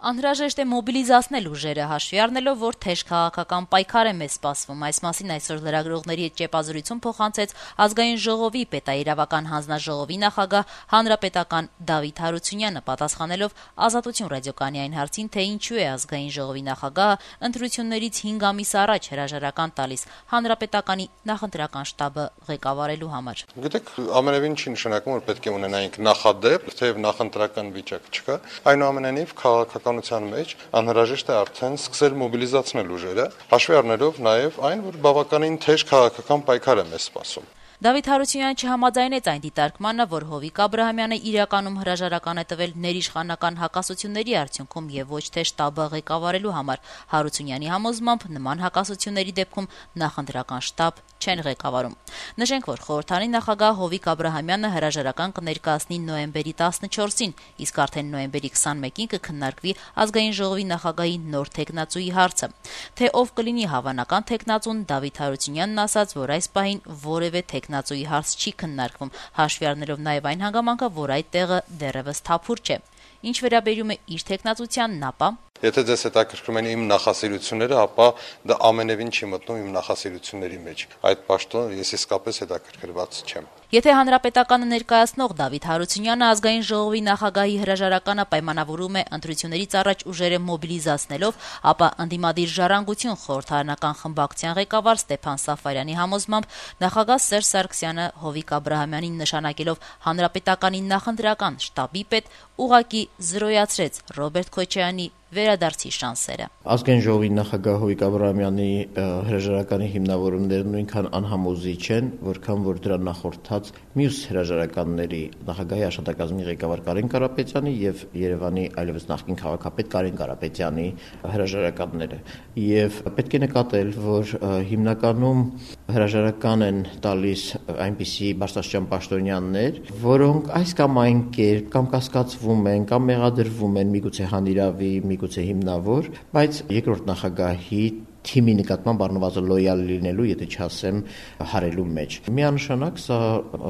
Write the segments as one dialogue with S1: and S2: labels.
S1: Անհրաժեշտ է մոբիլիզացնել ուժերը, հաշվի առնելով, որ թեժ քաղաքական պայքար է մեզ սպասվում։ Այս մասին այսօր լրագրողների հետ ճեպազրույցում փոխանցեց Ազգային ժողովի պետաիրավական հանձնաժողովի նախագահ հանրապետական Դավիթ Հարությունյանը, պատասխանելով Ազատություն ռադիոկայանի այն հարցին, թե ինչու է Ազգային ժողովի նախագահը ընտրություններից 5 ամիս առաջ հրաժարական տալիս հանրապետականի նախընտրական շտաբը ղեկավարելու համար։
S2: Գիտեք, ամենևին չի նշանակում, որ պետք է ունենայինք նախադեպ, թեև նախընտրական վիճակ չկա, այնուամենայնիվ քաղաքականության մեջ անհրաժեշտ է արդեն սկսել մոբիլիզացնել ուժերը, հաշվի առնելով նաև այն, որ բավականին թեժ քաղաքական պայքար է մեզ սպասում։
S1: Դավիթ Հարությունյանը չհամաձայնեց այն դիտարկմանը, որ Հովիկ Աբրահամյանը իրականում հրաժարական է տվել ներիշխանական հակասությունների արդյունքում եւ ոչ թե շտաբը ղեկավարելու համար։ Հարությունյանի համոզմամբ նման հակասությունների դեպքում նախընտրական շտաբ չեն ղեկավարում։ Նշենք, որ խորհրդարանի նախագահ Հովիկ Աբրահամյանը հրաժարական կներկայացնի նոյեմբերի 14-ին, իսկ արդեն նոյեմբերի 21-ին կքննարկվի Ազգային ժողովի նախագահի նոր թեկնածուի հարցը։ Թե ով կլինի հավանական թեկնածուն, Դավիթ Հարությունյանն ասաց, որ այս պահին որևէ թեկնածուի հարց չի քննարկվում, հաշվի առնելով նաև այն հանգամանքը, որ այդ տեղը դեռևս թափուր չէ։ Ինչ վերաբերում է իր թեկնածությանն, ապա
S2: Եթե ձեզ հետաքրքրում են իմ նախասիրությունները, ապա դա ամենևին չի մտնում իմ նախասիրությունների մեջ։ Այդ պաշտոնը ես իսկապես հետաքրքրված չեմ։
S1: Եթե հանրապետականը ներկայացնող Դավիթ Հարությունյանը Ազգային ժողովի նախագահի հրաժարականը պայմանավորում է ընտրություններից առաջ ուժերը մոբիլիզացնելով, ապա ընդդիմադիր ժառանգություն խորհրդարանական խմբակցության ղեկավար Ստեփան Սաֆարյանի համոզմամբ նախագահ Սերժ Սարգսյանը Հովիկ Աբրահամյանին նշանակելով հանրապետականի նախընտրական շտաբի պետ ուղղակի զրոյացրեց Ռոբերտ Քոչարյանի վերադարձի շանսերը։
S3: Ազգային ժողովի նախագահ Հովիկ Աբրահամյանի հրաժարականի հիմնավորումները նույնքան անհամոզիչ են, որքան որ դրա նախորդած մյուս հրաժարականների նախագահի աշխատակազմի ղեկավար Կարեն Կարապետյանի եւ Երևանի այլևս նախկին քաղաքապետ Կարեն Կարապետյանի հրաժարականները։ Եվ պետք է նկատել, որ հիմնականում հրաժարական են տալիս այնպիսի բարձրաստիճան պաշտոնյաներ, որոնք այս կամ այն կերպ կամ կասկածվում են, կամ մեղադրվում են միգուցե հանիրավի, միգուցե հիմնավոր, բայց երկրորդ նախագահի թիմի նկատմամբ առնվազն լոյալ լինելու, եթե չասեմ, հարելու մեջ։ Միանշանակ սա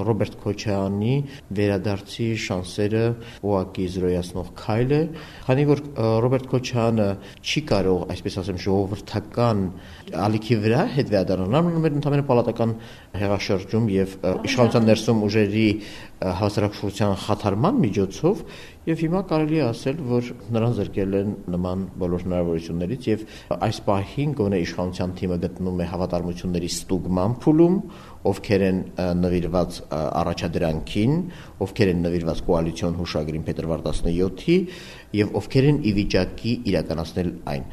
S3: Ռոբերտ Քոչարյանի վերադարձի շանսերը ուղղակի զրոյացնող քայլ է, քանի որ Ռոբերտ Քոչարյանը չի կարող, այսպես ասեմ, ժողովրդական ալիքի վրա հետ վերադառնալ, նա ընդհանրապես պալատական հեղաշրջում եւ իշխանության ներսում ուժերի հասարակության խաթարման միջոցով եւ հիմա կարելի է ասել, որ նրան զրկել են նման բոլոր հնարավորություններից եւ այս պահին գոնե իշխանության թիմը գտնում է հավատարմությունների ստուգման փուլում, ովքեր են նվիրված առաջադրանքին, ովքեր են նվիրված կոալիցիոն հուշագրին փետրվար 17-ի եւ ովքեր են ի վիճակի իրականացնել այն։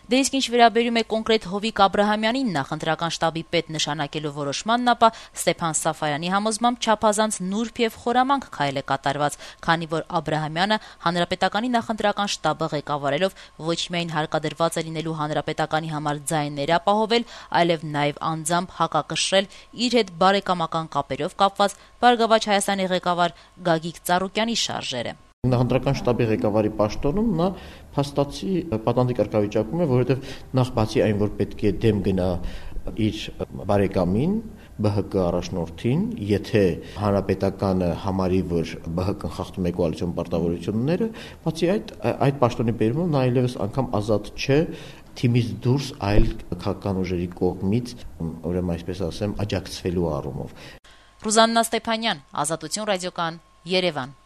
S1: Դե իսկ ինչ վերաբերում է կոնկրետ Հովիկ Աբրահամյանին նախընտրական շտաբի պետ նշանակելու որոշմանն, ապա Ստեփան Սաֆարյանի համոզմամբ չափազանց նուրբ եւ խորամանկ քայլ է կատարված, քանի որ Աբրահամյանը հանրապետականի նախընտրական շտաբը ղեկավարելով ոչ միայն հարկադրված է լինելու հանրապետականի համար ձայներ ապահովել, այլև նաեւ անձամբ հակակշռել իր հետ բարեկամական կապերով կապված Բարգավաճ Հայաստանի ղեկավար Գագիկ Ծառուկյանի շարժերը։
S3: Նախընտրական շտաբի ղեկավարի պաշտոնում նա փաստացի պատանդի կարգավիճակում է, որովհետև նախ բացի այն, որ պետք է դեմ գնա իր բարեկամին, ԲՀԿ առաջնորդին, եթե հանրապետականը համարի, որ ԲՀԿ-ն խախտում է կոալիցիոն պարտավորությունները, բացի այդ պաշտոնի բերումով նա այլևս անգամ ազատ չէ թիմից դուրս այլ քաղաքական ուժերի կողմից, ուրեմն այսպես ասեմ, աջակցվելու առումով։
S1: Ռուզաննա Ստեփանյան, Ազատություն ռադիոկայան, Երևան։